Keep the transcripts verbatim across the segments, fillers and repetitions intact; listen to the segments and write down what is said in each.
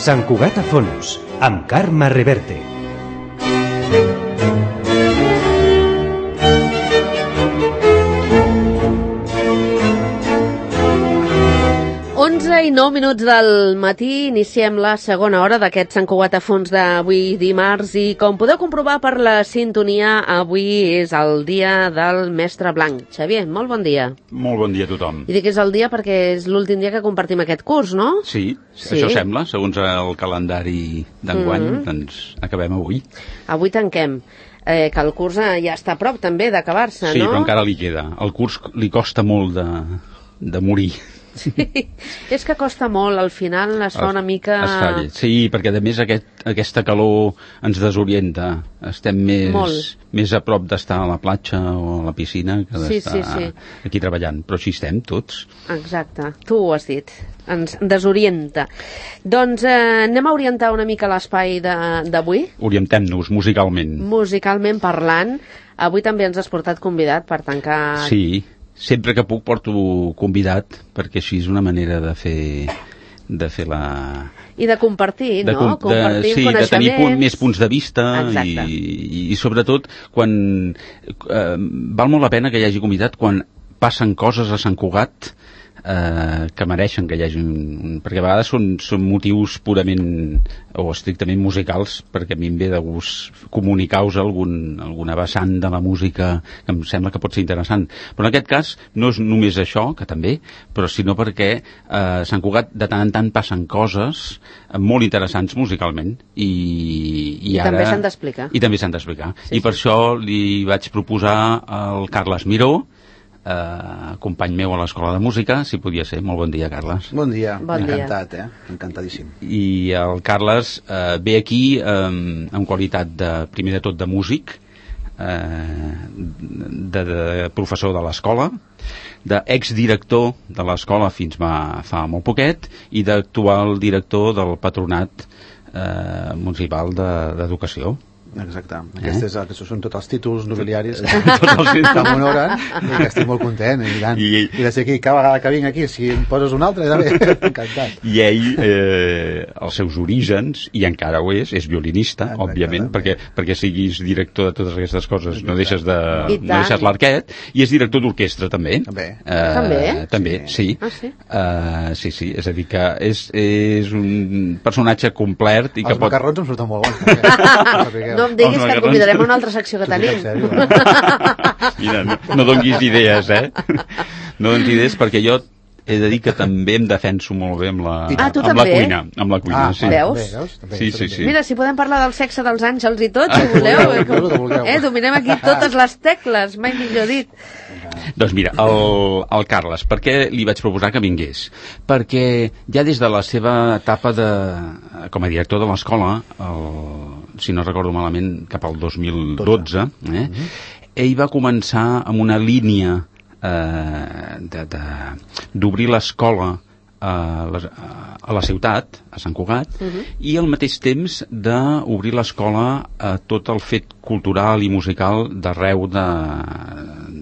Sant Cugat a fons, amb Carme Reverte. onze i nou minuts del matí, iniciem la segona hora d'aquest Sant Cugat a fons d'avui dimarts i com podeu comprovar per la sintonia, avui és el dia del mestre Blanc. Xavier, molt bon dia. Molt bon dia a tothom. I dic que és el dia perquè és l'últim dia que compartim aquest curs, no? Sí, sí. Això sembla, segons el calendari d'enguany, mm-hmm. doncs acabem avui. Avui tanquem. Eh, que el curs ja està a prop també d'acabar-se, sí, no? Sí, però encara li queda. El curs li costa molt de, de morir. Sí, és que costa molt, al final es fa una mica... Es fa lleig. Sí, perquè a més aquest, aquesta calor ens desorienta. Estem més, més a prop d'estar a la platja o a la piscina que d'estar sí, sí, sí. aquí treballant. Però així estem tots. Exacte, tu ho has dit. Ens desorienta. Doncs eh, anem a orientar una mica l'espai d'avui. Orientem-nos musicalment. Musicalment parlant. Avui també ens has portat convidat per tancar... Sí. Sempre que puc porto convidat, perquè així és una manera de fer, de fer la... I de compartir, de, no? Compartir sí, coneixements. De tenir punt, més punts de vista i, i, i sobretot quan eh, val molt la pena que hi hagi convidat quan passen coses a Sant Cugat eh, que mereixen que hi hagi un... perquè a vegades són, són motius purament o estrictament musicals, perquè a mi em ve de gust comunicar-vos algun, alguna vessant de la música que em sembla que pot ser interessant. Però en aquest cas no és només això, que també, però sinó perquè eh, a Sant Cugat de tant en tant passen coses molt interessants musicalment i, i, I ara... també s'han d'explicar. I també s'han d'explicar. Sí, I sí. per això li vaig proposar al Carles Miró, Uh, company meu a l'Escola de Música, si podia ser. Molt bon dia, Carles. Bon dia, bon encantat, dia. eh? Encantadíssim. I el Carles uh, ve aquí um, en qualitat de, primer de tot, de músic, uh, de, de professor de l'escola, d'exdirector de l'escola fins va, fa molt poquet, i d'actual director del Patronat uh, Municipal d'Educació. Exacte. Aquests, eh? Aquests són tots els títols nobiliaris tots els que m'honoren i que estic molt content. I, I, i de ser aquí, cada vegada que vinc aquí, si em poses un altre, també encantat. I ell, eh, els seus orígens, i encara ho és, és violinista, exacte, òbviament, perquè, perquè siguis director de totes aquestes coses, exacte. no deixes de, no deixes l'arquet, i és director d'orquestra, també. També. Eh, també? També, sí. Sí. Ah, sí? Uh, sí, sí, és a dir, que és, és un personatge complet. I que els pot... macarrons em surten molt bons. Perquè... No em diguis que et convidarem a una altra secció que tenim. Mira, no, no donguis idees, eh? No donis idees perquè jo he de dir que també em defenso molt bé amb la, ah, tu amb també? la cuina. Amb la cuina, ah, sí. Veus? També, sí, sí, sí. Mira, si podem parlar del sexe dels àngels i tot, si voleu. Eh, com... eh, dominem aquí totes les tecles, mai millor dit. Doncs mira, el, el Carles, per què li vaig proposar que vingués? Perquè ja des de la seva etapa de, com a director de l'escola, si no recordo malament, cap al dos mil dotze, eh, mm-hmm. ell va començar amb una línia eh, d'obrir l'escola a la, a la ciutat, a Sant Cugat, uh-huh. i al mateix temps d'obrir l'escola a tot el fet cultural i musical d'arreu de,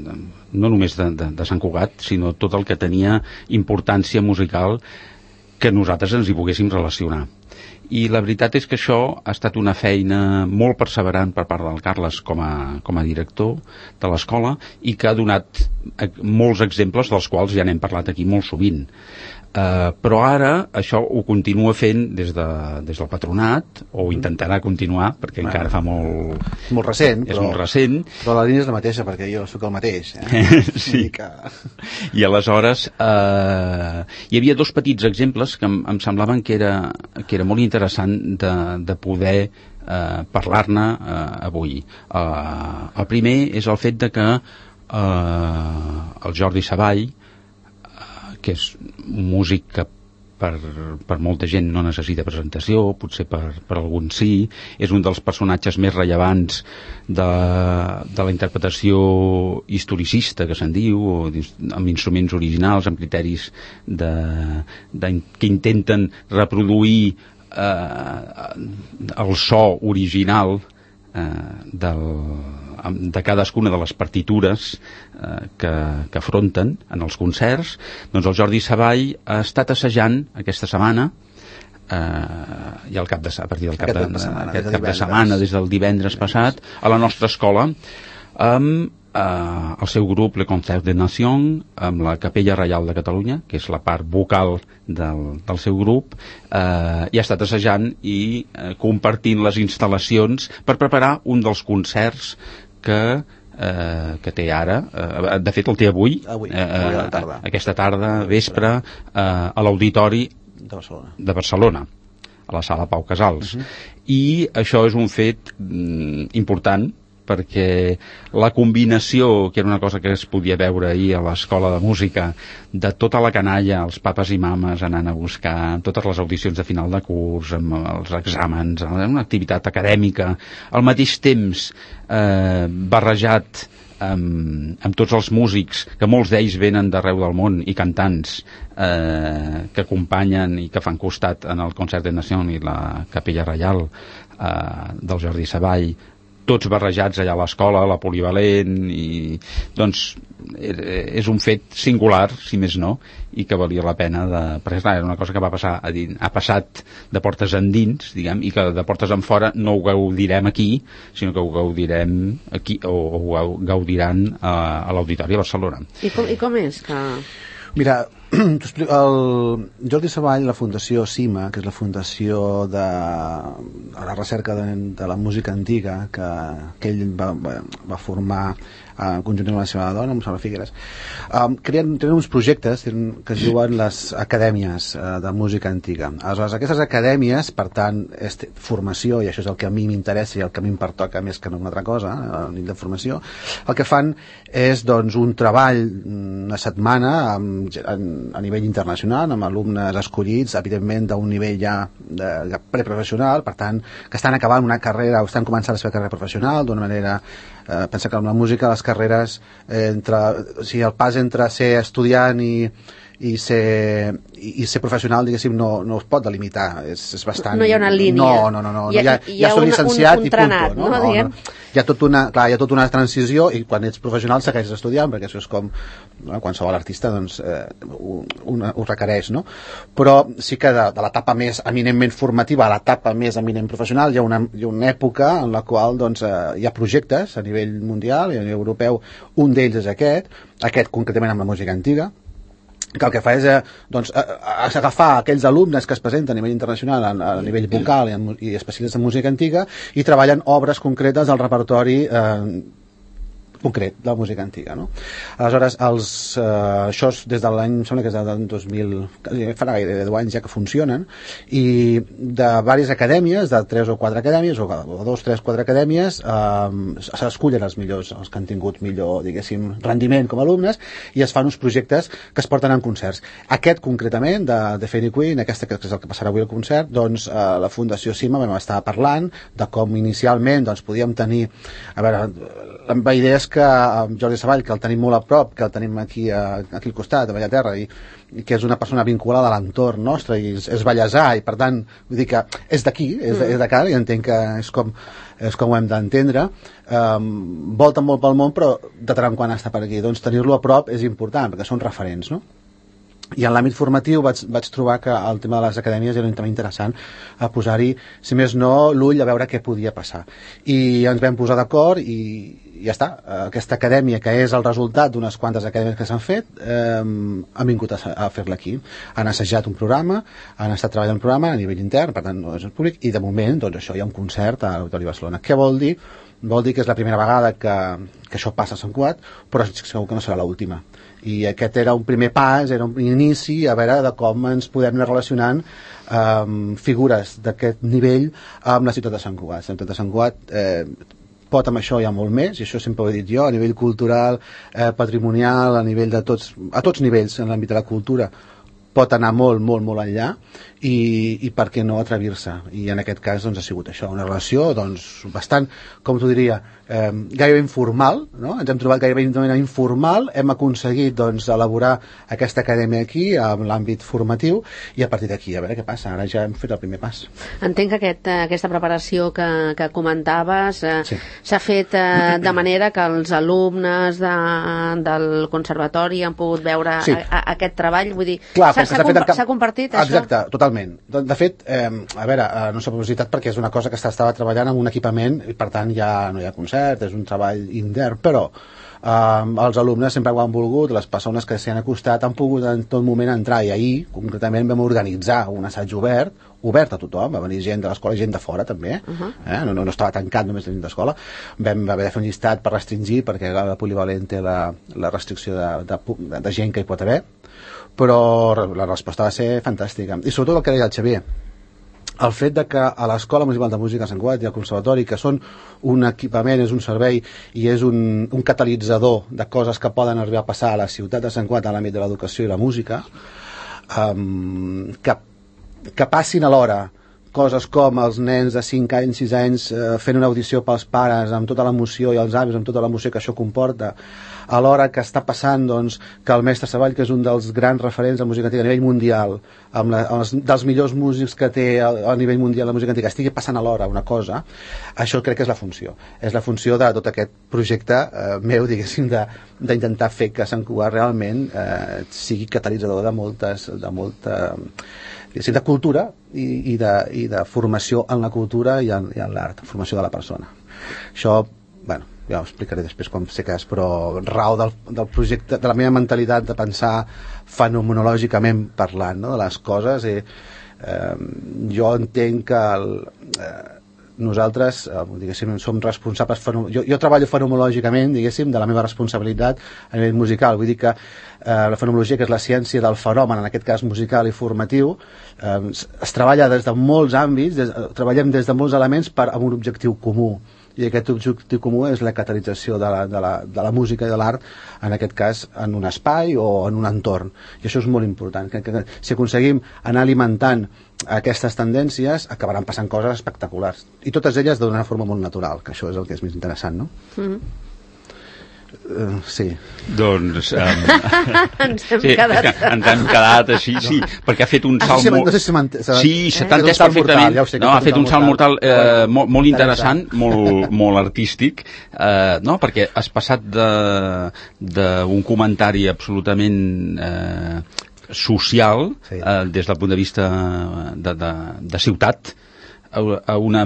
de, no només de, de, de Sant Cugat, sinó tot el que tenia importància musical que nosaltres ens hi poguéssim relacionar. I la veritat és que això ha estat una feina molt perseverant per part del Carles com a, com a director de l'escola i que ha donat molts exemples dels quals ja n'hem parlat aquí molt sovint. Uh, però ara això ho continua fent des, de, des del patronat, o intentarà continuar perquè bueno, encara fa molt... És molt recent, és però, molt recent. Però la línia és la mateixa, perquè jo sóc el mateix. Eh? Sí. Que... I aleshores uh, hi havia dos petits exemples que em, em semblaven que era, que era molt interessant de, de poder uh, parlar-ne uh, avui. Uh, el primer és el fet de que uh, el Jordi Savall, que és un músic que per, per molta gent no necessita presentació, potser per, per alguns sí, és un dels personatges més rellevants de, de la interpretació historicista, que se'n diu, o amb instruments originals, amb criteris de, de, que intenten reproduir eh, el so original eh, del, de cadascuna de les partitures eh, que, que afronten en els concerts. Doncs el Jordi Savall ha estat assajant aquesta setmana eh, i al cap de, a partir del cap, aquest de, cap de setmana, aquest des de cap de setmana, des del divendres passat, a la nostra escola, amb eh, el seu grup Le Concert de Nation, amb la Capella Reial de Catalunya, que és la part vocal del, del seu grup, eh, i ha estat assajant i eh, compartint les instal·lacions per preparar un dels concerts que eh, que té ara, eh, de fet el té avui, avui, eh, avui a la tarda. aquesta tarda, vespre, eh, a l'Auditori de Barcelona. de Barcelona, a la sala Pau Casals. Uh-huh. I això és un fet mm, important, perquè la combinació, que era una cosa que es podia veure ahir a l'escola de música, de tota la canalla, els papes i mames anant a buscar totes les audicions de final de curs, amb els exàmens, una activitat acadèmica, al mateix temps eh, barrejat amb, amb tots els músics, que molts d'ells venen d'arreu del món, i cantants eh, que acompanyen i que fan costat en el Concert de Nació i la Capella Reial eh, del Jordi Savall, tots barrejats allà a l'escola, a la Polivalent, i doncs és un fet singular, si més no, i que valia la pena de... perquè clar, era una cosa que va passar a dins, ha passat de portes endins, diguem, i que de portes en fora no ho gaudirem aquí, sinó que ho gaudirem aquí, o, o ho gaudiran a, a l'Auditori a Barcelona. I com, i com és que... Mira, el Jordi Savall, la Fundació CIMA, que és la fundació de la recerca de, de la música antiga, que, que ell va, va, va formar uh, conjuntament amb la seva dona, amb Sara Figueres, um, creen, tenen uns projectes tenen, que es diuen les acadèmies uh, de música antiga. Aleshores, aquestes acadèmies, per tant, és formació, i això és el que a mi m'interessa i el que a mi em pertoca més que no una altra cosa, a nivell de formació, el que fan és doncs, un treball una setmana amb, a nivell internacional, amb alumnes escollits, evidentment d'un nivell ja de, de preprofessional, per tant, que estan acabant una carrera o estan començant la seva carrera professional d'una manera... Eh, pensa que amb la música les carreres eh, entre, o sigui, el pas entre ser estudiant i, i, ser, i, i ser professional, diguéssim, no, no es pot delimitar, és, és bastant... No hi ha una línia. No, no, no, no. Hi ha, ja, hi ha ja soc un, llicenciat un, un i trenat, punto, no? no, no, no. Hi ha, tot una, clar, hi ha tota una transició, i quan ets professional segueixes estudiant, perquè això és com no, qualsevol artista doncs, eh, ho, una, ho requereix, no? Però sí que de, de l'etapa més eminentment formativa a l'etapa més eminent professional hi ha una, hi ha una època en la qual doncs, eh, hi ha projectes a nivell mundial i a nivell europeu. Un d'ells és aquest, aquest concretament amb la música antiga, que el que fa és eh, doncs, a, a, a agafar aquells alumnes que es presenten a nivell internacional a, a nivell vocal i, en, i especialistes en música antiga i treballen obres concretes al repertori eh, concret de la música antiga, no? Aleshores, els, eh, això és des de l'any, em sembla que és del dos mil, farà gairebé deu anys ja que funcionen, i de diverses acadèmies, de tres o quatre acadèmies, o, o dos, tres, quatre acadèmies, eh, s'escullen els millors, els que han tingut millor, diguéssim, rendiment com a alumnes, i es fan uns projectes que es porten en concerts. Aquest, concretament, de, de Fairy Queen, aquesta que és el que passarà avui al concert, doncs, eh, la Fundació CIMA vam estar parlant de com inicialment doncs, podíem tenir, a veure, la idea és que amb Jordi Savall, que el tenim molt a prop, que el tenim aquí, a, aquí al costat, a Bellaterra, i, i que és una persona vinculada a l'entorn nostre, i és, és ballesà, i per tant, vull dir que és d'aquí, és, és de cara, i entenc que és com, és com ho hem d'entendre. Um, volta molt pel món, però de tant en quant està per aquí. Doncs tenir-lo a prop és important, perquè són referents, no? I en l'àmbit formatiu vaig, vaig trobar que el tema de les acadèmies era un tema interessant a posar-hi, si més no, l'ull a veure què podia passar. I ens vam posar d'acord i, i ja està. Aquesta acadèmia, que és el resultat d'unes quantes acadèmies que s'han fet, eh, han vingut a, a fer-la aquí. Han assajat un programa, han estat treballant un programa a nivell intern, per tant no és públic, i de moment doncs, això hi ha un concert a l'Auditori Barcelona. Què vol dir? Vol dir que és la primera vegada que, que això passa a Sant Cugat, però segur que no serà l'última. I aquest era un primer pas, era un inici a veure de com ens podem anar relacionant amb eh, figures d'aquest nivell amb la ciutat de Sant Cugat. La ciutat de Sant Cugat eh, pot amb això hi ha molt més, i això sempre ho he dit jo, a nivell cultural, eh, patrimonial, a nivell de tots, a tots nivells en l'àmbit de la cultura, pot anar molt, molt, molt enllà, i, i per què no atrevir-se? I en aquest cas doncs, ha sigut això, una relació doncs, bastant, com t'ho diria, eh, gairebé informal, no? Ens hem trobat gairebé de manera informal, hem aconseguit doncs, elaborar aquesta acadèmia aquí, amb l'àmbit formatiu, i a partir d'aquí, a veure què passa, ara ja hem fet el primer pas. Entenc que aquest, aquesta preparació que, que comentaves eh, s'ha sí. fet eh, de manera que els alumnes de, del conservatori han pogut veure sí. a, a, aquest treball, vull dir, s'ha s'ha comp cap... compartit, això? Exacte, totalment. De, de fet, eh, a veure, eh, no s'ha publicitat perquè és una cosa que estava treballant amb un equipament i per tant ja no hi ha concert, és un treball intern, però eh, els alumnes sempre ho han volgut, les persones que s'hi han acostat han pogut en tot moment entrar, i ahir concretament vam organitzar un assaig obert, obert a tothom, va venir gent de l'escola i gent de fora també, uh -huh. eh? no, no, no estava tancat només la gent d'escola, vam haver de fer un llistat per restringir perquè la polivalent té la, la restricció de, de, de gent que hi pot haver, però la resposta va ser fantàstica, i sobretot el que deia el Xavier, el fet de que a l'Escola Municipal de Música de Sant Cugat i al Conservatori, que són un equipament, és un servei i és un, un catalitzador de coses que poden arribar a passar a la ciutat de Sant Cugat en l'àmbit de l'educació i la música, um, que, que passin alhora coses com els nens de cinc anys, sis anys eh, fent una audició pels pares amb tota l'emoció i els avis amb tota l'emoció que això comporta, alhora que està passant doncs, que el mestre Savall, que és un dels grans referents de música antiga a nivell mundial, amb la, els, dels millors músics que té a, a nivell mundial la música antiga, estigui passant alhora una cosa, això crec que és la funció. És la funció de tot aquest projecte eh, meu, diguéssim, d'intentar fer que Sant Cugat realment eh, sigui catalitzador de moltes, de molta, diguéssim, de cultura i, i, de, i de formació en la cultura i en, i en l'art, formació de la persona. Això, bueno, ja ho explicaré després com sé que és, però rau del, del projecte, de la meva mentalitat de pensar fenomenològicament parlant, no?, de les coses, i eh, jo entenc que el, eh, nosaltres, eh, diguéssim, som responsables, jo, jo treballo fenomenològicament, diguéssim, de la meva responsabilitat a nivell musical, vull dir que eh, la fenomenologia, que és la ciència del fenomen, en aquest cas musical i formatiu, eh, es, es treballa des de molts àmbits, des, treballem des de molts elements per, amb un objectiu comú, i aquest objectiu comú és la catalització de la, de la, de la música i de l'art, en aquest cas en un espai o en un entorn, i això és molt important, que, que si aconseguim anar alimentant aquestes tendències acabaran passant coses espectaculars, i totes elles d'una forma molt natural, que això és el que és més interessant, no? Mm-hmm. Uh, sí. Doncs um, ens hem sí, quedat ens hem quedat així, sí, perquè ha fet un salt ah, sí, molt... no sé si sí, s'ha entès perfectament, ja sé, no, ha fet un salt mortal eh, molt, molt interessant, molt, molt artístic, eh, no? Perquè has passat d'un comentari absolutament eh, social, sí. eh, des del punt de vista de, de, de ciutat, a, a una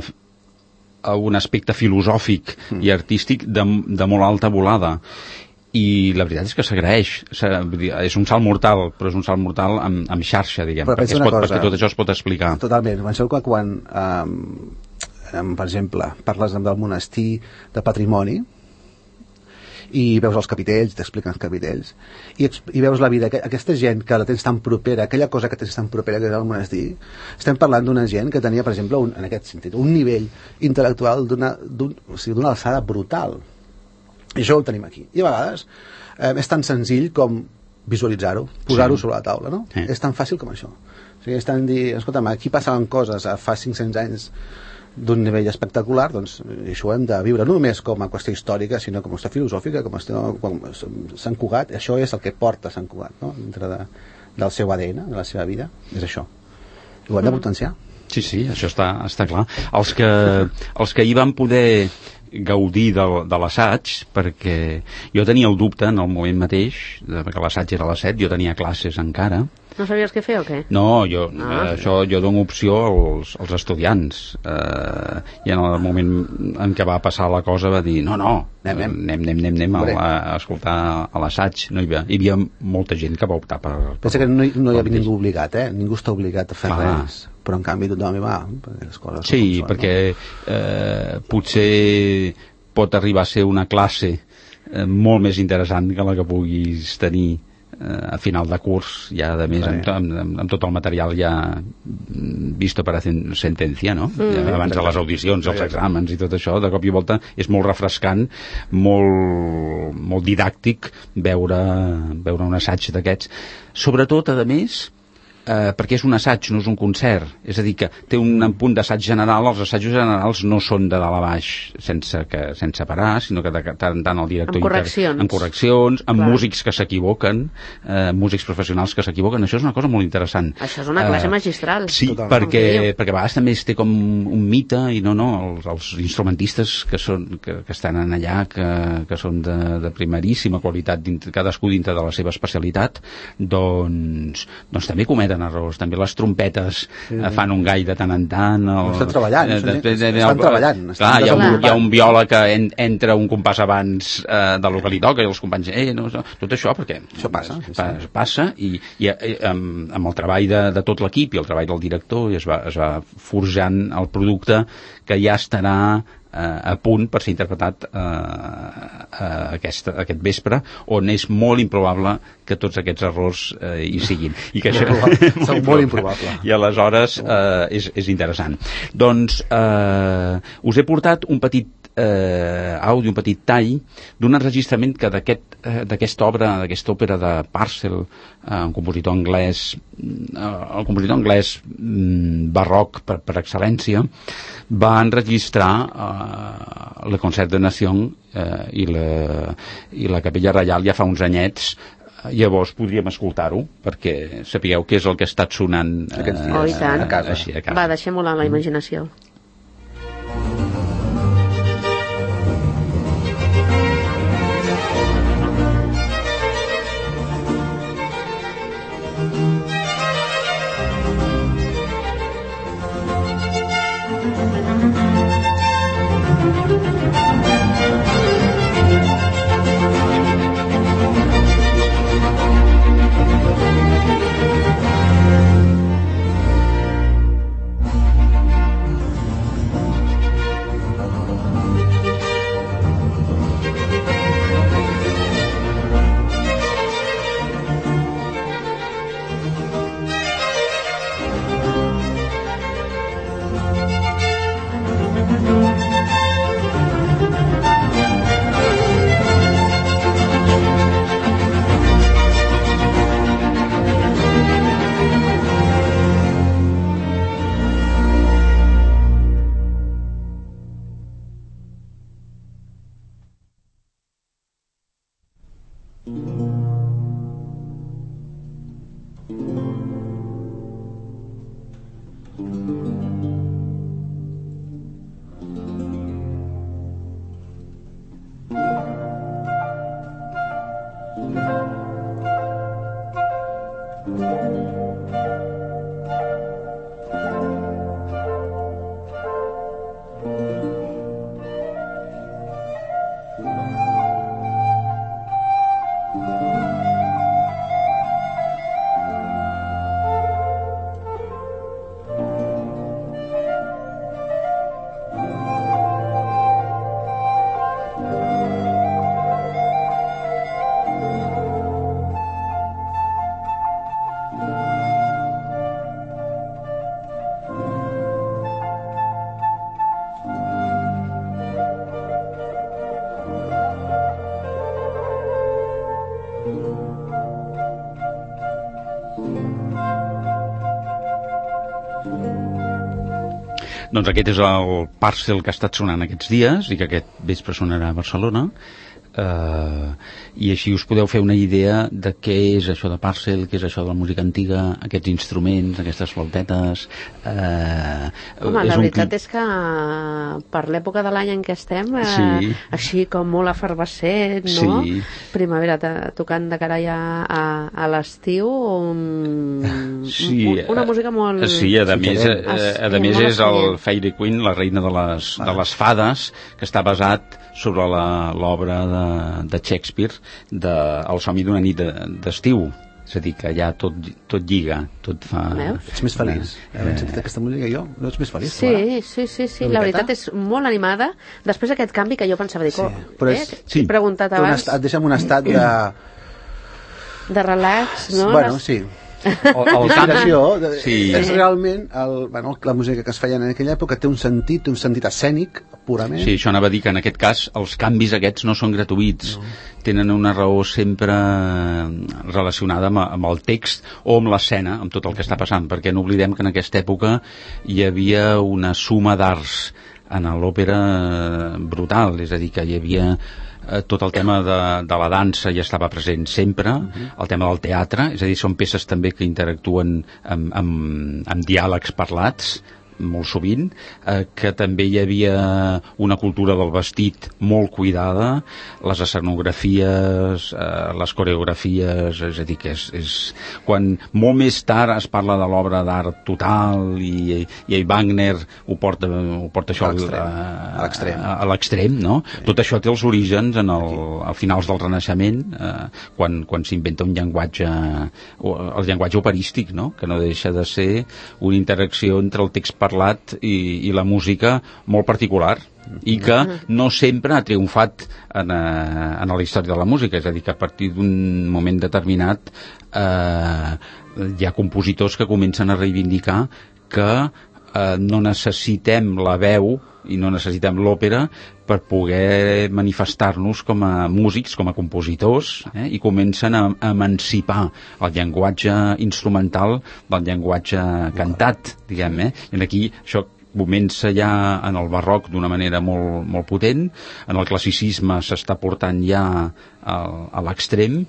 a un aspecte filosòfic mm. i artístic de, de molt alta volada, i la veritat és que s'agraeix, és un salt mortal, però és un salt mortal amb, amb xarxa, diguem, perquè, pot, cosa, perquè tot això es pot explicar. Totalment, penseu que quan um, um, per exemple parles del monestir de patrimoni i veus els capitells, t'expliquen els capitells, i, i veus la vida, aquesta gent que la tens tan propera, aquella cosa que tens tan propera que és el monestir, estem parlant d'una gent que tenia, per exemple, un, en aquest sentit, un nivell intel·lectual d'una un, o sigui, d'una alçada brutal. I això ho tenim aquí. I a vegades eh, és tan senzill com visualitzar-ho, posar-ho sí. sobre la taula, no? Sí. És tan fàcil com això. O sigui, és tan dir, escolta'm, aquí passaven coses fa cinc-cents anys d'un nivell espectacular, doncs això ho hem de viure no només com a qüestió històrica, sinó com a qüestió filosòfica, com a qüestió com Sant Cugat, això és el que porta Sant Cugat, no? Dintre de, del seu A D N, de la seva vida, és això. I ho hem de potenciar. Sí, sí, això està, està clar. Els que, els que hi van poder gaudir de, de l'assaig, perquè jo tenia el dubte en el moment mateix, perquè l'assaig era a les set, jo tenia classes encara. No sabies què fer o què? No, jo, ah. eh, això, jo dono opció als, als estudiants, eh, i en el moment en què va passar la cosa va dir, no, no, anem, anem, anem, anem, anem a, a escoltar a l'assaig. No hi havia, hi havia molta gent que va optar per... Pensa que no, no hi havia ningú obligat, eh? Ningú està obligat a fer Clar. res, però en canvi tothom hi va, perquè les coses sí, són, perquè no? eh, potser pot arribar a ser una classe eh, molt més interessant que la que puguis tenir a final de curs, ja de més amb, amb, amb, amb tot el material ja visto per a sentència, no? Mm. Ja, abans de les audicions, els exàmens i tot això, de cop i volta és molt refrescant, molt, molt didàctic veure, veure un assaig d'aquests. Sobretot, a més, eh, perquè és un assaig, no és un concert. És a dir, que té un punt d'assaig general, els assajos generals no són de dalt a baix sense, que, sense parar, sinó que de tant en tant el director... Amb correccions. Inter... Amb correccions, amb Clar. músics que s'equivoquen, eh, músics professionals que s'equivoquen. Això és una cosa molt interessant. Això és una classe uh, magistral. Sí, perquè, perquè a vegades també es té com un mite, i no, no, els, els instrumentistes que, són, que, que estan en allà, que, que són de, de primeríssima qualitat, dintre, cadascú dintre de la seva especialitat, doncs, doncs també cometen errors. També les trompetes sí. eh, fan un gall de tant en tant. El, estan treballant. Eh, de, de, de, estan el, treballant. Estan clar, hi ha, un, hi ha un viola que en, entra un compàs abans eh, del que li toca i els companys, eh, no, no, tot això perquè... Això passa. Sí, pa, sí. Passa i, i, i amb, amb el treball de, de tot l'equip i el treball del director es va, es va forjant el producte que ja estarà a punt per ser interpretat eh, aquest, aquest vespre, on és molt improbable que tots aquests errors eh, hi siguin. I que això, molt, molt improbable. I aleshores eh, és, és interessant. Doncs eh, us he portat un petit eh, àudio, un petit tall d'un enregistrament que d'aquest, eh, d'aquesta obra, d'aquesta òpera de Purcell, eh, un compositor anglès, eh, el compositor anglès mm, barroc per, per excel·lència, va enregistrar eh, le Concert de Nation eh, i, la, i la Capella Reial ja fa uns anyets. Llavors podríem escoltar-ho perquè sapigueu què és el que ha estat sonant eh, aquests dies oh, i tant. a casa. Així, a casa. Va, deixem volar la imaginació. Doncs aquest és el Purcell que ha estat sonant aquests dies i que aquest vespre sonarà a Barcelona. Uh, i així us podeu fer una idea de què és això de Purcell, què és això de la música antiga, aquests instruments, aquestes flautetes. Uh, Home, la veritat és que per l'època de l'any en què estem, uh, sí. Així com molt efervescent, no? Sí. Primavera tocant de cara ja a, a l'estiu, um, sí, una música molt... Sí, a més, a, a, a més és el Fairy Queen, la reina de les, de les fades, que està basat sobre l'obra de, de Shakespeare de El somni d'una nit d'estiu. És a dir, que ja tot, tot lliga, tot fa... Veus? Ets més feliç. Eh... Havent sentit aquesta música jo, no ets més feliç? Sí, sí, sí, sí. La veritat és molt animada. Després d'aquest canvi que jo pensava, dic, sí, oh, però és... eh? Sí. He preguntat abans... Et deixa en un estat de... de relax, no? Bueno, Les... sí. La inspiració sí. és realment el, bueno, la música que es feia en aquella època té un sentit, un sentit escènic purament. Sí, això anava a dir que en aquest cas els canvis aquests no són gratuïts, no. Tenen una raó sempre relacionada amb, amb el text o amb l'escena, amb tot el que està passant, perquè no oblidem que en aquesta època hi havia una suma d'arts en l'òpera brutal, és a dir, que hi havia eh, tot el tema de, de la dansa ja estava present sempre, uh-huh. El tema del teatre, és a dir, són peces també que interactuen amb, amb, amb diàlegs parlats, molt sovint, eh, que també hi havia una cultura del vestit molt cuidada, les escenografies, eh, les coreografies, és a dir, que és, és... Quan molt més tard es parla de l'obra d'art total i, i Wagner ho porta, ho porta això a l'extrem, a, a l'extrem, no? Sí. Tot això té els orígens en el, a finals del Renaixement, eh, quan, quan s'inventa un llenguatge, el llenguatge operístic, no? Que no deixa de ser una interacció entre el text parlat i, i la música molt particular i que no sempre ha triomfat en, en la història de la música, és a dir, que a partir d'un moment determinat eh, hi ha compositors que comencen a reivindicar que eh, no necessitem la veu i no necessitem l'òpera per poder manifestar-nos com a músics, com a compositors, eh? I comencen a, a emancipar el llenguatge instrumental del llenguatge cantat, diguem, eh? I aquí això comença ja en el barroc d'una manera molt, molt potent, en el classicisme s'està portant ja a, a l'extrem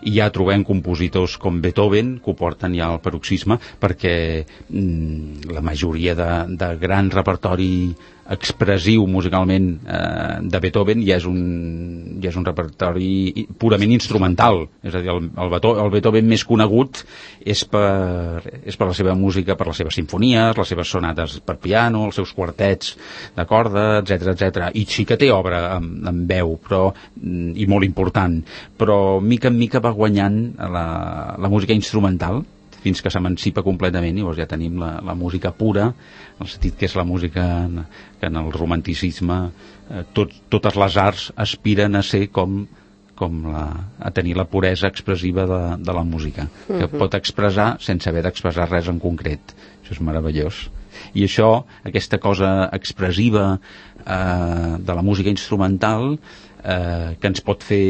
i ja trobem compositors com Beethoven que ho porten ja al paroxisme perquè mm, la majoria de, de gran repertori expressiu musicalment eh, de Beethoven ja és, un, ja és un repertori purament instrumental, és a dir, el, el, Beethoven, el Beethoven més conegut és per, és per la seva música, per les seves simfonies, les seves sonates per piano, els seus quartets de corda, etcètera, etcètera. I sí que té obra amb, amb veu, però, i molt important, però mica en mica va guanyant la, la música instrumental fins que s'emancipa completament, i llavors ja tenim la, la música pura, en el sentit que és la música en, que en el romanticisme eh, tot, totes les arts aspiren a ser com, com la, a tenir la puresa expressiva de, de la música, que uh-huh. pot expressar sense haver d'expressar res en concret. Això és meravellós. I això, aquesta cosa expressiva eh, de la música instrumental eh, que ens pot fer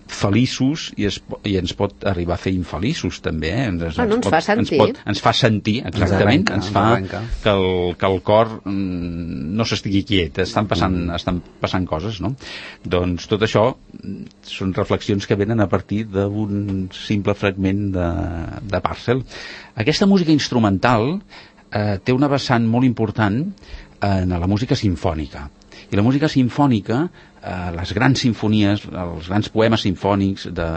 feliços i, es, i ens pot arribar a fer infeliços també, eh? ens, ah, no ens, ens, pot, fa sentir. Ens, pot, ens fa sentir exactament, ens, arrenca, ens fa que el, que el cor mm, no s'estigui quiet, estan passant, mm. estan passant coses, no? Doncs tot això són reflexions que venen a partir d'un simple fragment de, de Purcell. Aquesta música instrumental eh, té una vessant molt important en la música simfònica, i la música simfònica, eh, les grans simfonies, els grans poemes simfònics de,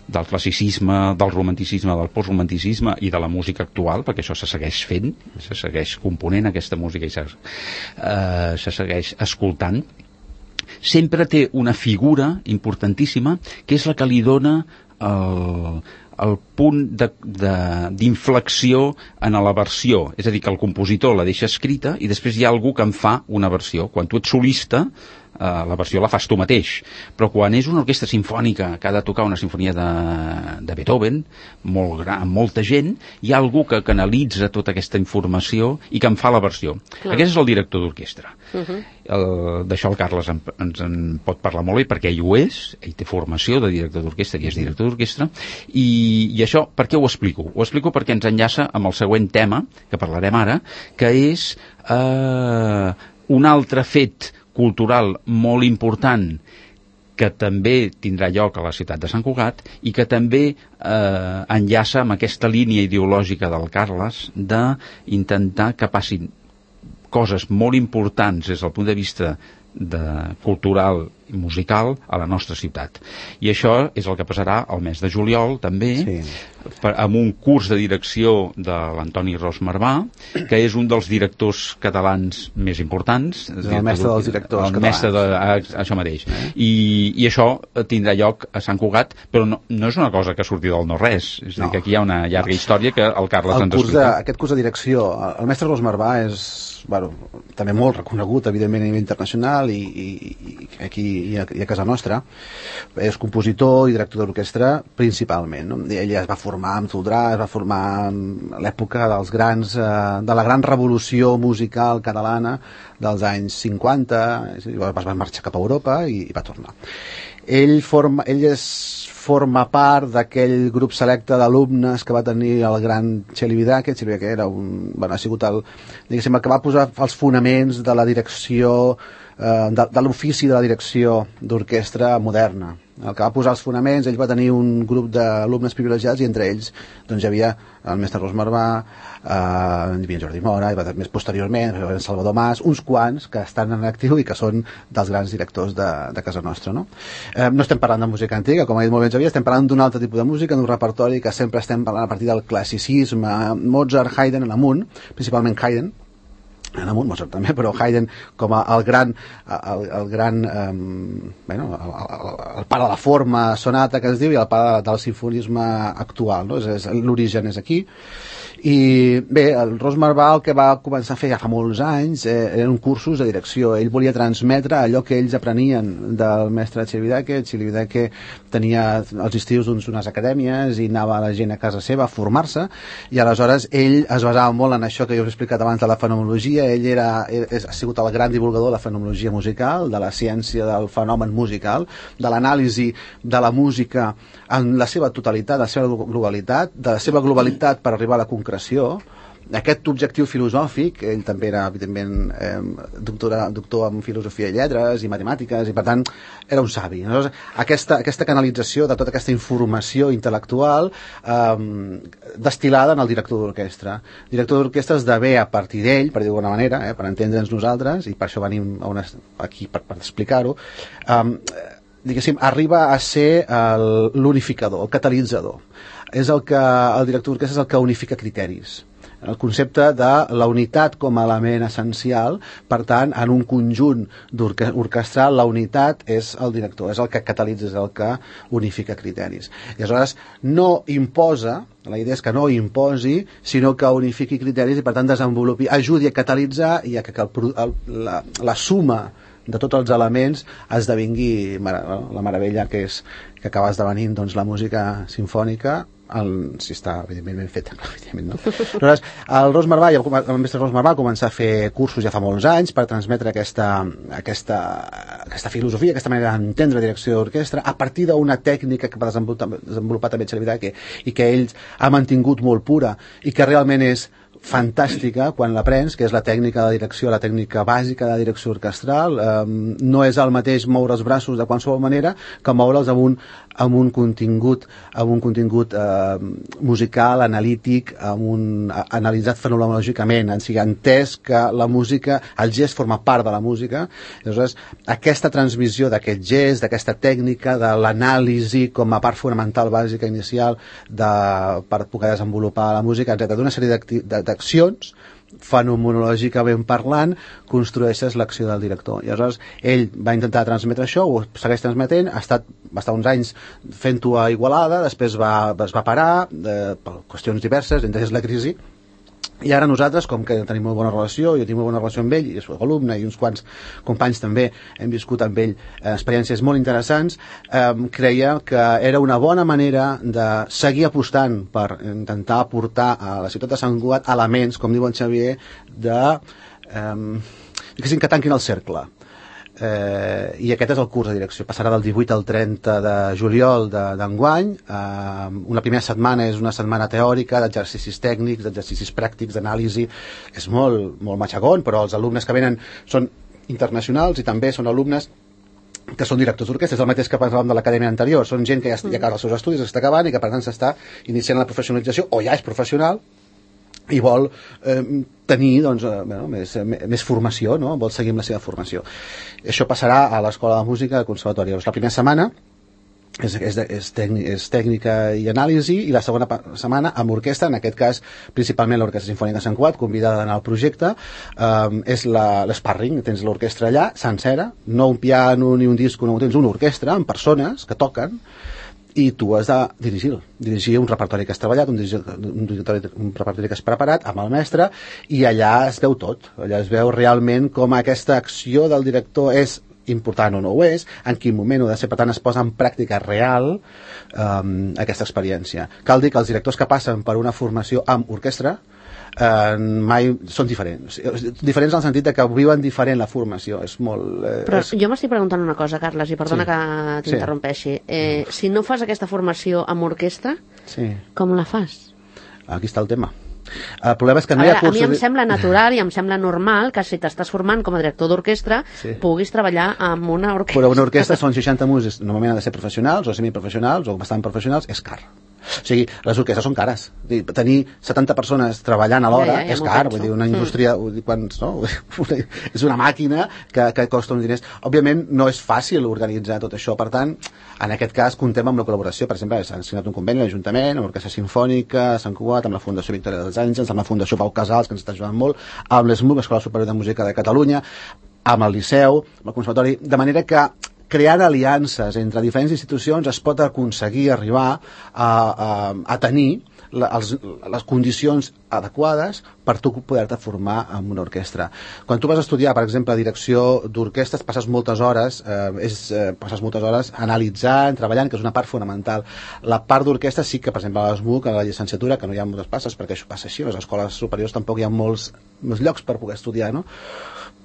del classicisme, del romanticisme, del postromanticisme i de la música actual, perquè això se segueix fent, se segueix component aquesta música i se, eh, se segueix escoltant, sempre té una figura importantíssima que és la que li dona el, el punt d'inflexió en la versió, és a dir, que el compositor la deixa escrita i després hi ha algú que en fa una versió. Quan tu ets solista, eh, la versió la fas tu mateix, però quan és una orquestra simfònica que ha de tocar una sinfonia de, de Beethoven, molt gran, amb molta gent, hi ha algú que canalitza tota aquesta informació i que en fa la versió. Clar. Aquest és el director d'orquestra. Uh-huh. D'això el Carles en, ens en pot parlar molt bé perquè ell ho és, ell té formació de director d'orquestra i és director d'orquestra, i, i això per què ho explico? Ho explico perquè ens enllaça amb el següent tema que parlarem ara, que és eh, un altre fet cultural molt important que també tindrà lloc a la ciutat de Sant Cugat i que també eh, enllaça amb aquesta línia ideològica del Carles d'intentar que passin coses molt importants des del punt de vista de cultural i musical a la nostra ciutat. I això és el que passarà el mes de juliol també, sí. per, amb un curs de direcció de l'Antoni Ros Marvà, que és un dels directors catalans més importants. És el mestre dels directors el mestre catalans. De, això mateix. Eh? I, I això tindrà lloc a Sant Cugat, però no, no és una cosa que surti del no-res. És a dir, no. que aquí hi ha una llarga història que el Carles el ens curs explica. De, aquest curs de direcció, el mestre Ros Marvà és bueno, també molt reconegut, evidentment, a nivell internacional i, i, i aquí i a, i a casa nostra. És compositor i director d'orquestra principalment, no? Ell es va formar formar amb Toldrà, es va formar en l'època dels grans, eh, de la gran revolució musical catalana dels anys cinquanta, llavors va marxar cap a Europa i, i va tornar. Ell, forma, ell és, forma part d'aquell grup selecte d'alumnes que va tenir el gran Txeli Vidake. Txeli Vidake era un, bueno, ha sigut el, diguéssim, el que va posar els fonaments de la direcció, eh, de, de l'ofici de la direcció d'orquestra moderna. El que va posar els fonaments, ell va tenir un grup d'alumnes privilegiats i entre ells doncs, hi havia el mestre Ros Marvà, eh, hi havia Jordi Mora, i va, més posteriorment en Salvador Mas, uns quants que estan en actiu i que són dels grans directors de, de casa nostra. No? Eh, no estem parlant de música antiga, com ha dit molt bé Xavier, estem parlant d'un altre tipus de música, d'un repertori que sempre estem parlant a partir del classicisme, Mozart, Haydn en amunt, principalment Haydn, en amunt, Mozart també, però Haydn com a, el gran, el, el gran um, bueno, el, el, el pare de la forma sonata que es diu i el pare del sinfonisme actual, no? és, és, l'origen és aquí. I bé, el Ros Marvà el que va començar a fer ja fa molts anys eh, eren cursos de direcció. Ell volia transmetre allò que ells aprenien del mestre Txeli Vidake. Txeli Vidake tenia els estius doncs, unes acadèmies i anava la gent a casa seva a formar-se, i aleshores ell es basava molt en això que jo us he explicat abans de la fenomenologia. Ell era, ha sigut el gran divulgador de la fenomenologia musical, de la ciència del fenomen musical, de l'anàlisi de la música en la seva totalitat, la seva globalitat, de la seva globalitat per arribar a la concreció. Aquest objectiu filosòfic, ell també era evidentment eh, doctora, doctor en filosofia i lletres i matemàtiques, i per tant era un savi. Aleshores, aquesta, aquesta canalització de tota aquesta informació intel·lectual eh, destil·lada en el director d'orquestra. El director d'orquestra esdevé a partir d'ell, per dir d'alguna manera, eh, per entendre'ns nosaltres, i per això venim a una, aquí per, per explicar-ho, eh, diguéssim, arriba a ser l'unificador, el catalitzador. És el que, el director d'orquestra és el que unifica criteris. El concepte de la unitat com a element essencial, per tant, en un conjunt orquestral, la unitat és el director, és el que catalitza, és el que unifica criteris. I aleshores no imposa, la idea és que no imposi, sinó que unifiqui criteris i per tant desenvolupi, ajudi a catalitzar i a que el, el, la, la suma de tots els elements esdevingui la meravella que és que acaba esdevenint doncs, la música sinfònica, el, si està evidentment ben feta, evidentment, no? Aleshores, el Ros Marvà, el mestre Ros Marvà va començar a fer cursos ja fa molts anys per transmetre aquesta, aquesta, aquesta filosofia, aquesta manera d'entendre direcció d'orquestra a partir d'una tècnica que va desenvolupar, desenvolupar també Txeli Vidake i que ell ha mantingut molt pura i que realment és fantàstica quan l'aprens, que és la tècnica de direcció, la tècnica bàsica de direcció orquestral. Eh, no és el mateix moure els braços de qualsevol manera que moure'ls amb un, amb un contingut, amb un contingut eh, musical, analític, amb un, analitzat fenomenològicament, en sigui, entès que la música, el gest forma part de la música. Aleshores, aquesta transmissió d'aquest gest, d'aquesta tècnica, de l'anàlisi com a part fonamental, bàsica, inicial, de, per poder desenvolupar la música, etcètera, d'una sèrie d'accions, fenomenològicament parlant, construeixes l'acció del director. I aleshores ell va intentar transmetre això, ho segueix transmetent, ha estat va estar uns anys fent-ho a Igualada, després va, es va parar eh, per qüestions diverses, entre ells la crisi, i ara nosaltres, com que tenim molt bona relació, jo tinc molt bona relació amb ell, i és un alumne i uns quants companys també hem viscut amb ell eh, experiències molt interessants, eh, creia que era una bona manera de seguir apostant per intentar aportar a la ciutat de Sant Cugat elements, com diu en Xavier, de eh, que tanquin el cercle. Eh, i aquest és el curs de direcció, passarà del divuit al trenta de juliol d'enguany. Eh, una primera setmana és una setmana teòrica d'exercicis tècnics, d'exercicis pràctics, d'anàlisi. És molt, molt matxagón, però els alumnes que venen són internacionals i també són alumnes que són directors d'orquestra, és el mateix que parlàvem de l'acadèmia anterior, són gent que ja, ja acaba els seus estudis, està acabant i que per tant s'està iniciant la professionalització o ja és professional i vol eh, tenir doncs, eh, bueno, més, més formació, no? Vol seguir amb la seva formació. Això passarà a l'Escola de Música del Conservatori. La primera setmana és, és, és, tècnica, és tècnica i anàlisi, i la segona setmana amb orquestra, en aquest cas principalment l'Orquestra Simfònica de Sant Cugat, convidada d'anar al projecte, eh, és l'esparring, tens l'orquestra allà, sencera, no un piano ni un disco, no, tens una orquestra amb persones que toquen, i tu has de dirigir, dirigir un repertori que has treballat, un, un, un repertori que has preparat amb el mestre, i allà es veu tot, allà es veu realment com aquesta acció del director és important o no ho és, en quin moment ho ha de ser, per tant es posa en pràctica real um, aquesta experiència. Cal dir que els directors que passen per una formació amb orquestra Uh, mai són diferents diferents en el sentit de que viuen diferent la formació, és molt... Eh, Però és... jo m'estic preguntant una cosa, Carles, i perdona sí. que t'interrompeixi. Eh, si no fas aquesta formació amb orquestra, sí. com la fas? Aquí està el tema. El problema és que no a hi ha veure, cursos... A mi em sembla natural i em sembla normal que si t'estàs formant com a director d'orquestra sí. puguis treballar amb una orquestra. Però una orquestra són seixanta músics, normalment han de ser professionals o semiprofessionals o bastant professionals, és car. O sigui, les orquestres són cares. Tenir setanta persones treballant alhora ja, ja, ja és car, vull dir, una indústria, mm. vull dir, quan, no? és una màquina que, que costa uns diners. Òbviament no és fàcil organitzar tot això, per tant, en aquest cas comptem amb la col·laboració, per exemple, s'ha signat un conveni a l'Ajuntament, amb l'Orquestra Simfònica, Sant Cugat, amb la Fundació Victòria dels Àngels, amb la Fundació Pau Casals, que ens està ajudant molt, amb l'E S M U, l'Escola Superior de Música de Catalunya, amb el Liceu, amb el Conservatori, de manera que creant aliances entre diferents institucions es pot aconseguir arribar a, a, a tenir la, els, les condicions adequades per tu poder-te formar en una orquestra. Quan tu vas estudiar, per exemple, direcció d'orquestres, passes moltes hores eh, és, eh, passes moltes hores analitzant, treballant, que és una part fonamental. La part d'orquestra sí que, per exemple, a l'E S M U, que a la llicenciatura, que no hi ha moltes passes, perquè això passa així, a les escoles superiors tampoc hi ha molts, molts llocs per poder estudiar, no?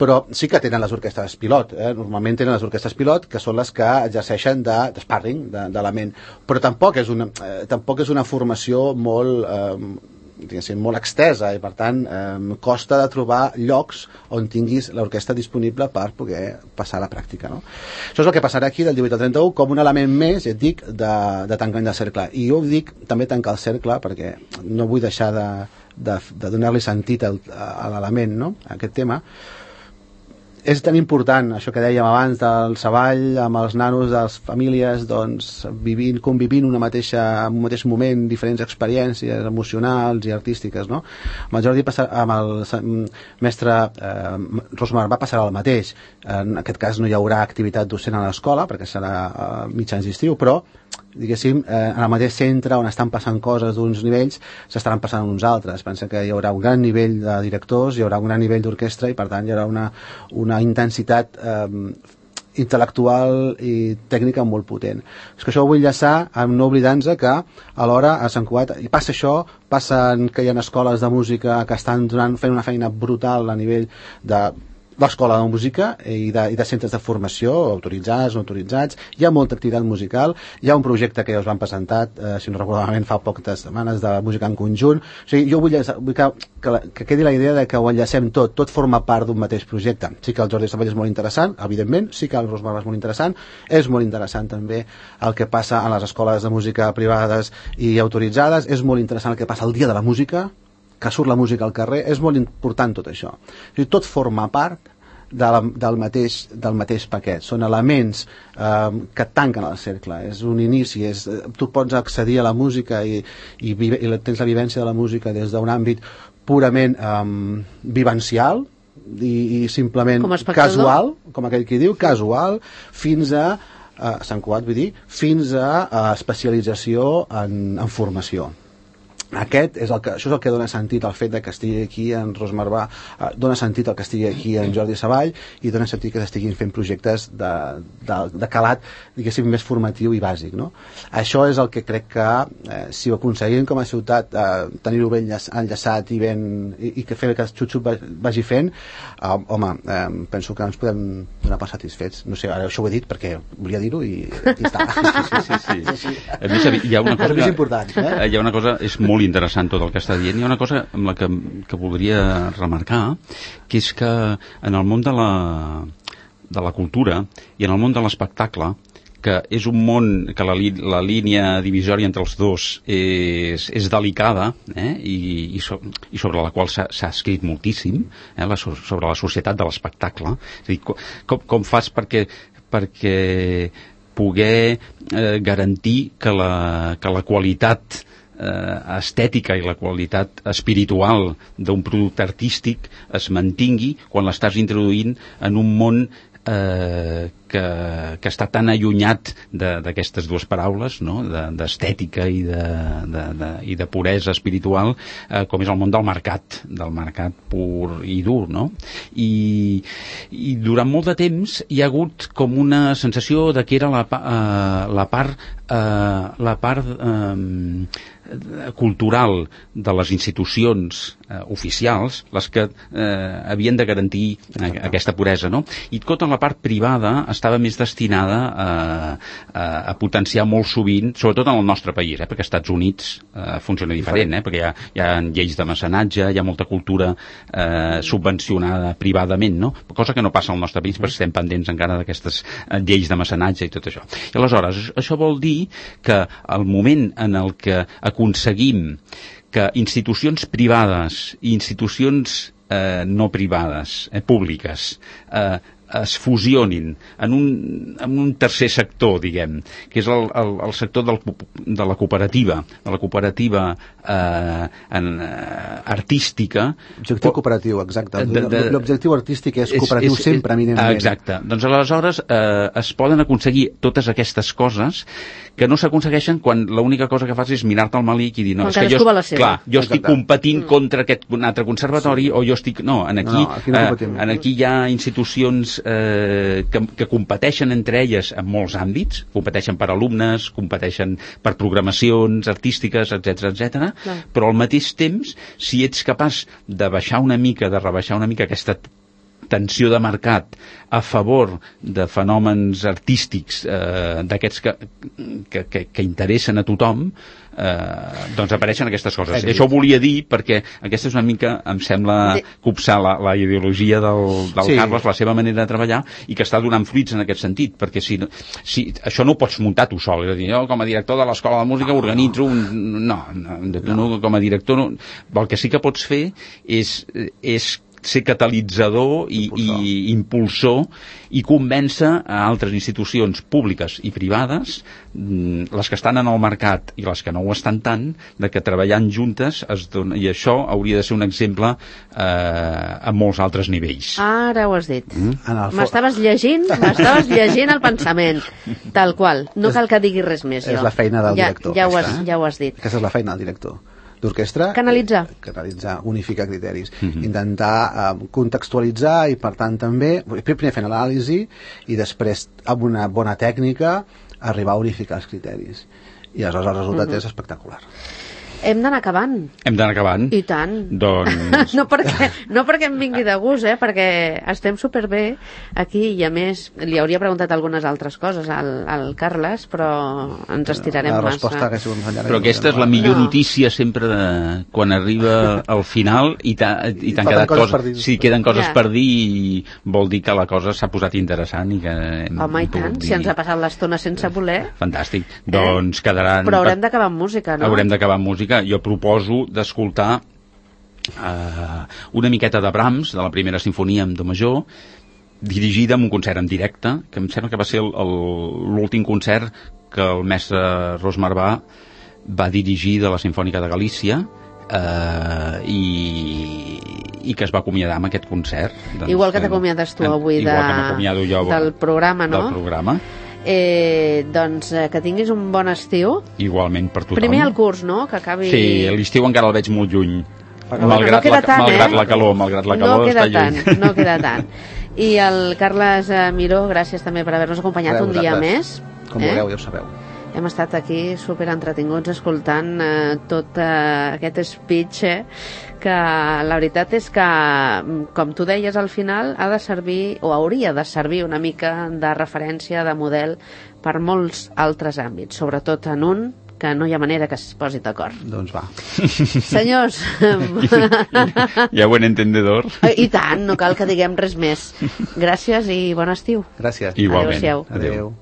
Però sí que tenen les orquestres pilot, eh? Normalment tenen les orquestres pilot, que són les que exerceixen de, de sparring, d'element, però tampoc és una, eh, tampoc és una formació molt, eh, diguéssim, molt extesa, i per tant eh, costa de trobar llocs on tinguis l'orquestra disponible per poder passar a la pràctica, no? Això és el que passarà aquí del divuit al trenta-u com un element més, ja et dic, de, de tancament de cercle. I jo dic també tancar el cercle perquè no vull deixar de, de, de donar-li sentit al, a l'element, no?, a aquest tema. És tan important, això que dèiem abans del Savall, amb els nanos de les famílies, doncs, vivint, convivint una mateixa, en un mateix moment, diferents experiències emocionals i artístiques, no? Amb el Jordi, amb el mestre eh, Rosmar va passar el mateix. En aquest cas no hi haurà activitat docent a l'escola, perquè serà eh, mitjans d'estiu, però diguéssim, eh, en el mateix centre on estan passant coses d'uns nivells s'estaran passant uns altres. Pensa que hi haurà un gran nivell de directors, hi haurà un gran nivell d'orquestra i per tant hi haurà una, una intensitat eh, intel·lectual i tècnica molt potent. És que això ho vull enllaçar amb no oblidant-nos que alhora a Sant Cugat i passa això, passen que hi ha escoles de música que estan donant, fent una feina brutal a nivell de l'escola de música i de, i de centres de formació, autoritzats, no autoritzats, hi ha molta activitat musical, hi ha un projecte que ja us van presentar, eh, si no recordo malament, fa poques setmanes, de música en conjunt. O sigui, jo vull, vull que, que, que quedi la idea de que ho enllacem tot, tot forma part d'un mateix projecte. Sí que el Jordi Savall és molt interessant, evidentment, sí que el Rosmar és molt interessant, és molt interessant també el que passa a les escoles de música privades i autoritzades, és molt interessant el que passa el dia de la música, que surt la música al carrer, és molt important tot això. O sigui, tot forma part de la, del, mateix, del mateix paquet. Són elements eh, que tanquen el cercle. És un inici. És, tu pots accedir a la música i, i, vive, i tens la vivència de la música des d'un àmbit purament eh, vivencial i, i simplement com casual, com aquell qui diu, casual, fins a eh, Sant Cugat, vull dir, fins a, a especialització en, en formació. Aquest és el que, això és el que dona sentit al fet de que estigui aquí en Rosmar Ba, eh, dona sentit al que estigui aquí en Jordi Savall i dona sentit que s'estiguin fent projectes de, de, de calat, diguéssim, més formatiu i bàsic, no? Això és el que crec que eh, si ho aconseguim com a ciutat eh, tenir-ho ben enllaçat i, ben, i, i que fer que el xup-xup vagi fent, eh, home, eh, penso que ens podem donar per satisfets. No sé, ara això ho he dit perquè volia dir-ho i aquí està. Sí, sí, sí. sí, sí. A més, hi ha una cosa que, és important, eh? Hi ha una cosa, és molt interessant tot el que està dient. Hi ha una cosa amb la que, que voldria remarcar, que és que en el món de la, de la cultura i en el món de l'espectacle, que és un món que la, la línia divisòria entre els dos és, és delicada, eh? I, i, so, i sobre la qual s'ha escrit moltíssim, eh? la, sobre la societat de l'espectacle. És a dir, com, com fas perquè, perquè poder eh, garantir que la, que la qualitat estètica i la qualitat espiritual d'un producte artístic es mantingui quan l'estàs introduint en un món eh, que, que està tan allunyat d'aquestes dues paraules, no? D'estètica i, de, de, de, i de puresa espiritual, eh, com és el món del mercat, del mercat pur i dur, no? I, i durant molt de temps hi ha hagut com una sensació de que era la, eh, la part, eh, la part eh, cultural de les institucions eh, oficials les que eh, havien de garantir eh, aquesta puresa, no? I tota la part privada estava més destinada a, a, a potenciar molt sovint, sobretot en el nostre país, eh, perquè als Estats Units eh, funciona diferent, eh, perquè hi ha, hi ha lleis de mecenatge, hi ha molta cultura eh, subvencionada privadament, no? Cosa que no passa al nostre país, perquè estem pendents encara d'aquestes eh, lleis de mecenatge i tot això. I aleshores, això vol dir que el moment en el que aconseguim que institucions privades i institucions eh, no privades, eh, públiques, eh, es fusionin en un, en un tercer sector, diguem, que és el, el, el sector del, de la cooperativa, de la cooperativa eh, en, eh, artística. Objectiu cooperatiu, exacte. L'objectiu artístic és cooperatiu és, és, sempre, eminentment. Exacte. Doncs aleshores eh, es poden aconseguir totes aquestes coses que no s'aconsegueixen quan l'única cosa que fas és mirar-te al malic i dir, no, és que jo, clar, jo estic competint mm. contra aquest un altre conservatori, sí. o jo estic... No, en aquí, no, no, aquí, no eh, en aquí hi ha institucions eh, que, que competeixen entre elles en molts àmbits, competeixen per alumnes, competeixen per programacions artístiques, etcètera, etcètera, però al mateix temps, si ets capaç de baixar una mica, de rebaixar una mica aquesta tensió de mercat a favor de fenòmens artístics eh, d'aquests que, que, que, que interessen a tothom, eh, doncs apareixen aquestes coses. I això ho volia dir perquè aquesta és una mica, em sembla, copsar la, la ideologia del, del sí. Carles, la seva manera de treballar, i que està donant fruits en aquest sentit, perquè si, si això no ho pots muntar tu sol, és a dir, jo com a director de l'Escola de Música organitzo un... No, no, no, no com a director no. El que sí que pots fer és, és ser catalitzador i impulsor. i impulsor i convèncer a altres institucions públiques i privades, les que estan en el mercat i les que no ho estan tant, de que treballant juntes es dona, i això hauria de ser un exemple eh, a molts altres nivells. Ara ho has dit. Mm? M'estaves llegint, m'estaves llegint el pensament, tal qual. No cal que diguis res més. És jo. La feina del ja, director. Ja ho, has, ja ho has dit. Aquesta és la feina del director d'orquestra. Canalitzar. Canalitzar, unificar criteris. Mm-hmm. Intentar eh, contextualitzar i, per tant, també, primer fent l'anàlisi i després, amb una bona tècnica, arribar a unificar els criteris. I aleshores el resultat mm-hmm. és espectacular. Hem d'anar acabant. Hem d'anar acabant. I tant. Doncs... no, perquè, no perquè em vingui de gust, eh? Perquè estem superbé aquí i, a més, li hauria preguntat algunes altres coses al, al Carles, però ens estirarem la massa. Que enllà, però aquesta és la millor no. notícia sempre de, quan arriba al final i t'han quedat coses, coses sí, queden coses ja. per dir i vol dir que la cosa s'ha posat interessant i que hem Home, i tant, dir... si ens ha passat l'estona sense voler. Fantàstic. Eh? Doncs quedaran... Però haurem d'acabar amb música, no? Haurem d'acabar amb música. Jo proposo d'escoltar eh, una miqueta de Brahms, de la primera sinfonia amb do major, dirigida en un concert en directe, que em sembla que va ser l'últim concert que el mestre Rosmar va dirigir de la Simfònica de Galícia, eh, i, i que es va acomiadar amb aquest concert. Doncs, igual que t'acomiades tu avui de, jo, del programa, no? Del programa. Eh, doncs eh, que tinguis un bon estiu. Igualment per tothom. Primer el curs, no? Que acabi... Sí, l'estiu encara el veig molt lluny. Bueno, malgrat, no la, tant, malgrat eh? la calor, malgrat la calor no queda està tant, lluny. No queda tant. I el Carles eh, Miró, gràcies també per haver-nos acompanyat Adeu, un dia més. Com eh? vulgueu, ja ho sabeu. Hem estat aquí super entretinguts escoltant eh, tot eh, aquest speech, eh, que la veritat és que, com tu deies al final, ha de servir, o hauria de servir una mica de referència, de model, per molts altres àmbits, sobretot en un que no hi ha manera que es posi d'acord. Doncs va. Senyors... Ja buen entendedor. I tant, no cal que diguem res més. Gràcies i bon estiu. Gràcies. Igualment. Adéu-siau. Adéu.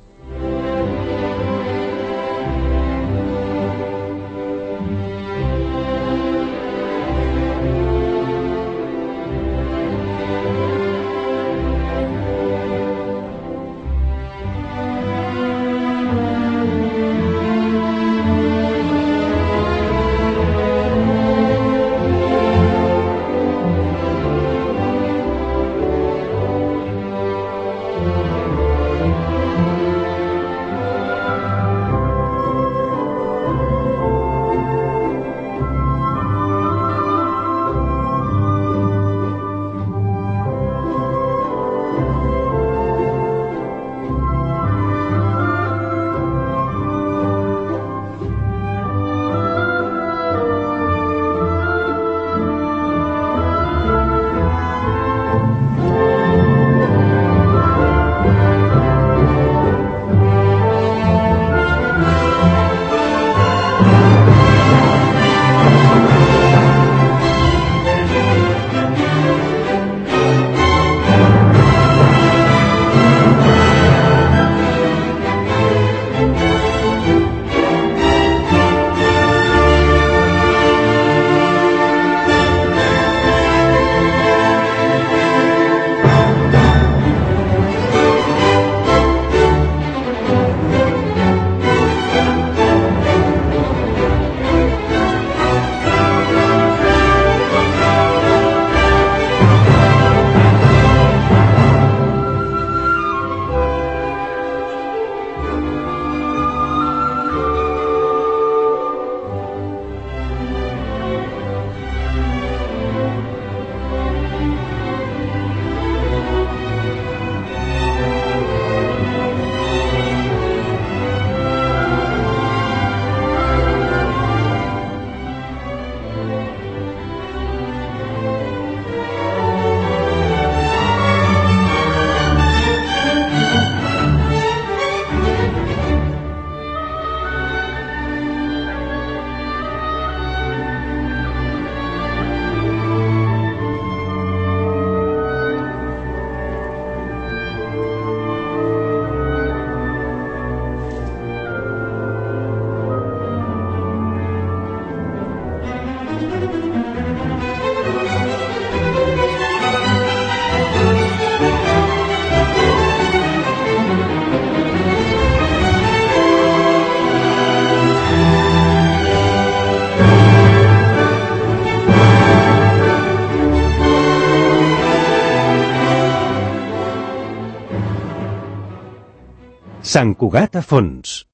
Sant Cugat a fons.